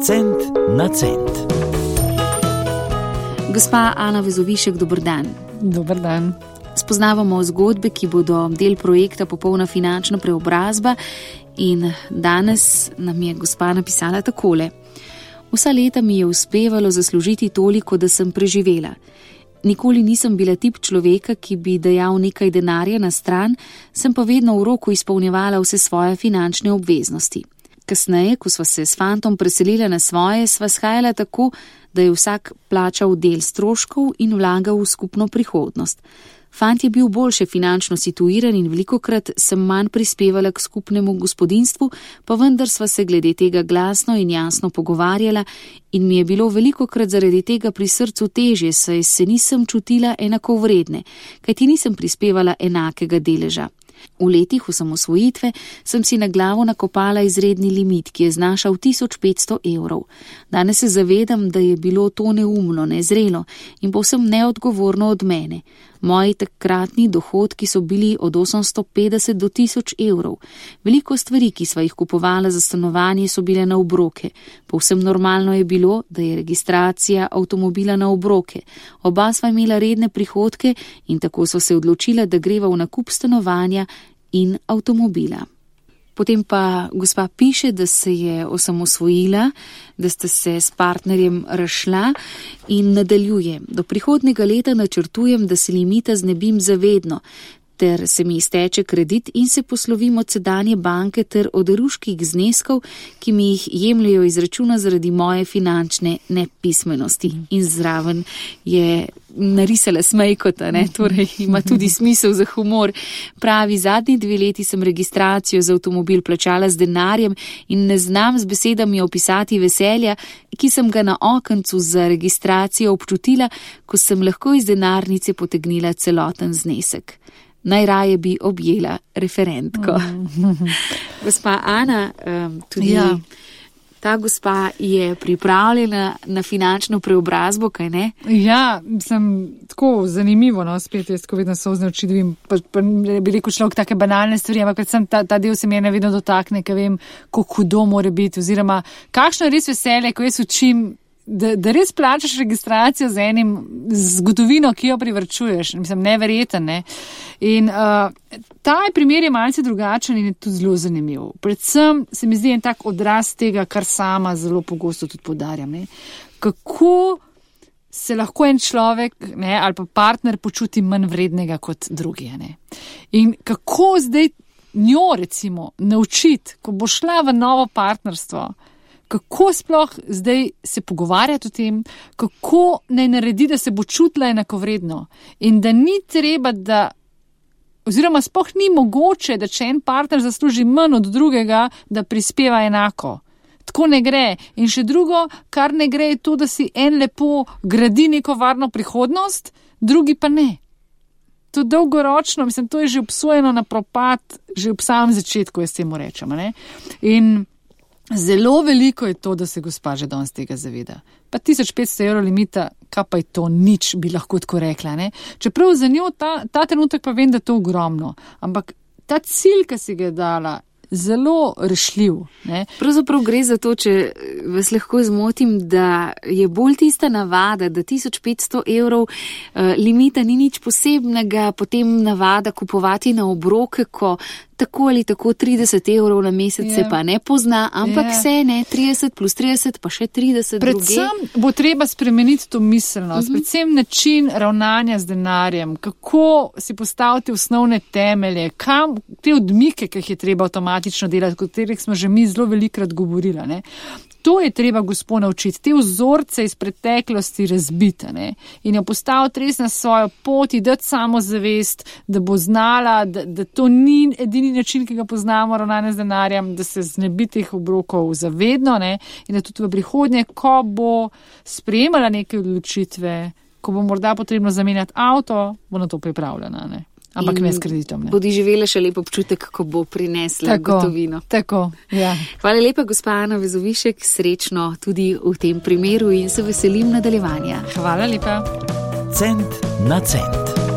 Cent na cent. Gospa Ana Vezovišek, dober dan. Dober dan. Spoznavamo zgodbe, ki bodo del projekta Popolna finančna preobrazba, in danes nam je gospa napisala takole. Vsa leta mi je uspevalo zaslužiti toliko, da sem preživela. Nikoli nisem bila tip človeka, ki bi dajal nekaj denarja na stran, sem pa vedno v roku izpolnjevala vse svoje finančne obveznosti. Kasneje, ko sva se s fantom preselila na svoje, sva shajala tako, da je vsak plačal del stroškov in vlagal v skupno prihodnost. Fant je bil boljše finančno situiran in velikokrat sem manj prispevala k skupnemu gospodinjstvu, pa vendar sva se glede tega glasno in jasno pogovarjala in mi je bilo velikokrat zaradi tega pri srcu težje, saj se nisem čutila enakovredne, kajti nisem prispevala enakega deleža. V letih osamosvojitve sem si na glavo nakopala izredni limit, ki je znašal 1500 evrov. Danes se zavedam, da je bilo to neumno, nezrelo in povsem neodgovorno od mene. Moji takratni dohodki so bili od 850 do 1000 evrov. Veliko stvari, ki sva jih kupovala za stanovanje, so bile na obroke. Povsem normalno je bilo, da je registracija avtomobila na obroke. Oba sva imela redne prihodke in tako sva se odločila, da greva v nakup stanovanja in avtomobila. Potem pa gospa piše, da se je osamosvojila, da sta se s partnerjem razšla in nadaljuje. Do prihodnjega leta načrtujem, da se limita znebim zavedno, ter se mi izteče kredit in se poslovim od sedanje banke ter od ruških zneskov, ki mi jih jemljajo iz računa zaradi moje finančne nepismenosti. In zraven je narisala smejkota, torej ima tudi smisel za humor. Pravi, zadnji 2 leti sem registracijo za avtomobil plačala z denarjem in ne znam z besedami opisati veselja, ki sem ga na okencu za registracijo občutila, ko sem lahko iz denarnice potegnila celoten znesek. Najraje bi objela referentko. Gospa Ana, tudi ta gospa je pripravljena na finančno preobrazbo, kaj ne? Ja, sem tako zanimivo, spet jaz, ko vedno sozne oči dobim, pa bi rekel človek take banalne stvari, ampak predvsem ta del se mi je nevedno dotakne, ker vem, kako hudo mora biti, oziroma kakšno je res veselje, ko jaz učim, da res plačaš registracijo z enim zgodovino, ki jo privrčuješ. Mislim, neverjeten, ne. In ta primer je malce drugačen in je tudi zelo zanimiv. Predvsem se mi zdi en tak odraz tega, kar sama zelo pogosto tudi poudarjam, ne. Kako se lahko en človek, ne, ali pa partner počuti manj vrednega kot drugi, ne. In kako zdaj njo, recimo, naučiti, ko bo šla v novo partnerstvo, kako sploh zdaj se pogovarjati o tem, kako naj naredi, da se bo čutila enakovredno in da ni treba, oziroma sploh ni mogoče, da če en partner zasluži manj od drugega, da prispeva enako. Tako ne gre. In še drugo, kar ne gre, je to, da si en lepo gradi neko varno prihodnost, drugi pa ne. To dolgoročno, mislim, to je že obsojeno na propad, že ob samem začetku, jaz temu rečem, ne. In zelo veliko je to, da se gospa že danes tega zaveda. Pa 1500 evrov limita, kaj pa je to, nič bi lahko tako rekla, ne. Čeprav za njo ta trenutek pa vem, da je to ogromno. Ampak ta cilj, ki si ga je dala, zelo rešljiv, ne. Pravzaprav gre za to, če vas lahko zmotim, da je bolj tista navada, da 1500 evrov limita ni nič posebnega, potem navada kupovati na obroke, ko tako ali tako 30 evrov na mesec se pa ne pozna, ampak se ne, 30 plus 30 pa še 30 druge. Predvsem bo treba spremeniti to miselnost, predvsem način ravnanja z denarjem, kako si postaviti osnovne temelje, kam te odmike, ki jih je treba avtomatično delati, o katerih smo že mi zelo velikrat govorili, ne. To je treba gospo naučiti, te vzorce iz preteklosti razbiti, ne, in jo postaviti res na svojo pot, dati samozavest, da bo znala, da to ni edini način, ki ga poznamo ravnanje z denarjem, da se znebi teh obrokov zavedno, ne, in da tudi v prihodnje, ko bo sprejemala neke odločitve, ko bo morda potrebno zamenjati avto, bo na to pripravljena, ne. Ampak ne s kreditom. Ne. Bodi živela še lep občutek, ko bo prinesla gotovino. Tako, ja. Hvala lepa, gospa Ana Vezovišek, srečno tudi v tem primeru in se veselim nadaljevanja. Hvala lepa. Cent na cent.